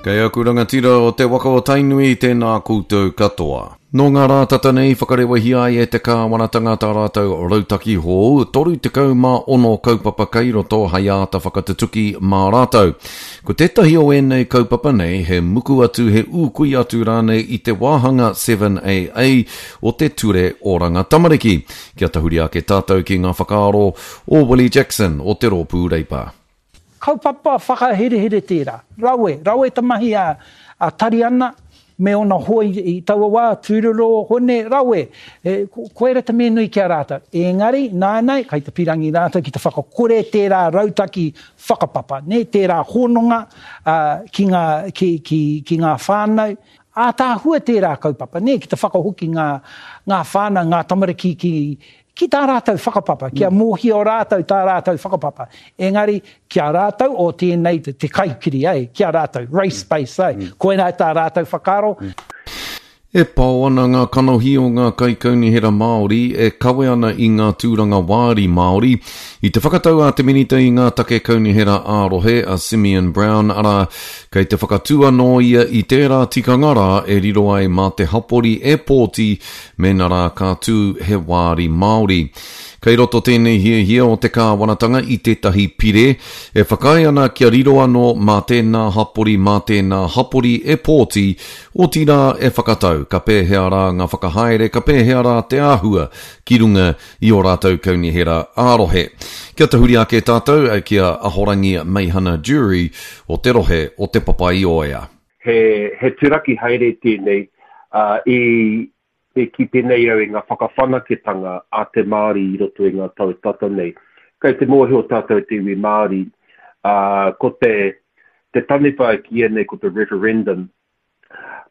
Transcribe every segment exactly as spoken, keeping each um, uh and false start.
Kei aku rangatira o te waka o Tainui, tēnā koutou katoa. Nō ngā rā tata nei whakarewahia ai e te kāwanatanga tā rātou rautaki hou, toru tekau mā ono kaupapa kei roto hei āta whakatutuki mā rātou. Ko tētahi o ēnei kaupapa nei he muku atu, he ūkui atu rānei i te wāhanga seven A A o te Ture Oranga Tamariki. Kia tahuri ake tātou ki ngā whakaaro o Willie Jackson o te Rōpū Reipa. Kaupapa whakaherehere tērā. Rawe, rawe te mahi a, a Tariana me ona hoa i, i taua wā, tūroro, hone, rawe. E, ko, koera te mea nui ki a rātou. Engari, nānei, kai te pirangi rātou ki te whakakore tērā rautaki whakapapa, ne, tērā hononga, ā, ki ngā, ki, ki, ki ngā whānau. Ātaahua tērā kaupapa, ne, ki te whakahoki ngā, ngā whānau, ngā tamariki ki, ki tā rātou whakapapa, kia mōhio rātou tā rātou whakapapa. Engari, ki a rātou o tēnei te, te kaikiri, eh, ki a rātou, race based, eh, koinā tā rātou whakaaro. E pao ana ngā kanohi o ngā kaikaunihera Māori e kawe ana i ngā tūranga wāri Māori. I te whakatau a te minita i ngā take kaunihera ā-rohe a Simeon Brown, arā, kei te whakatū anō ia i tērā tikanga rā e riro ai mā te hapori e pōti mēnā rā ka tū he wāri Māori. Kei roto tēnei hiahia o te kāwanatanga i tētahi pire e whakaae ana kia riro anō mā tēnā hapori mā tēnā hapori e pōti, otirā e whakatau, ka pēhea rā ngā whakahaere, ka pēhea rā te āhua ki runga i ō rātou kaunihera ā-rohe. Kia tahuri ake tātou ki a Ahorangi Meihana Jury o te rohe o Te Papaioea. He, he turaki haere tēnei, uh, i e kite nei au i ngā whakawhanaketanga a te Māori i roto i ngā tau tata nei. Kei te mōhio tātou te iwi Māori, uh, ko te, te taniwha e kīia nei ko te referendum,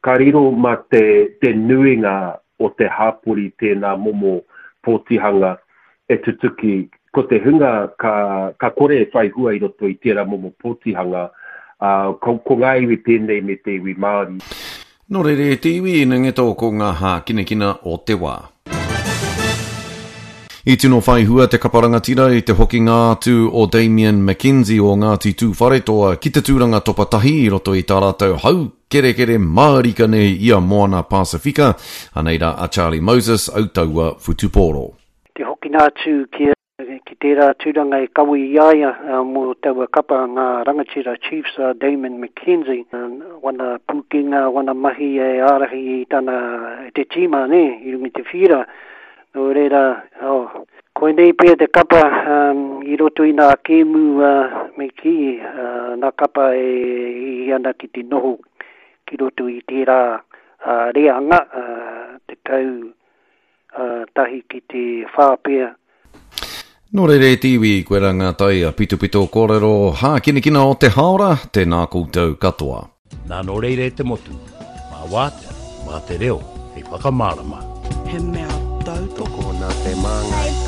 ka riro mā te, te nuinga o te hapori tēnā momo pōtihanga e tutuki. Ko te hunga ka, ka kore e whai hua i roto i tērā momo pōtihanga, uh, ko, ko ngā iwi pēnei me te iwi Māori. Nō reira e te iwi, ina ngeto ko ngā hākinakina o te wā. I tino whai hua te kapa rangatira i te hokinga atu o Damien McKenzie o Ngāti Tūwharetoa ki te tūranga topa tahi i roto i tā rātou hau kerekere mārika nei i a Moana Pasifika. Anei rā a Charlie Moses, autaua whutupōro. Te hokinga atu ki, ki tērā tūranga e kawe i a ia, uh, mō taua kapa ngā rangatira Chiefs, uh, Damien McKenzie, uh, wana pūkenga, wana mahi e ārahi i tana te tīma, ne, i runga i te whira. Nō reira, oh, koinei pea te kapa, um, i roto i ngā kēmu, uh, me kī, uh, ngā kapa e hihi ana ki te noho ki roto i tērā, uh, reanga, uh, tekau, uh, tahi ki te whā pea. Nō reira e te iwi, koe rā ngā tai a pitopito kōrero hākinakina o te haora, tēnā koutou katoa. Nā nō reira e te motu, mā wātea, mā te reo, hei whakamārama. He mea tautoko nā te māngai.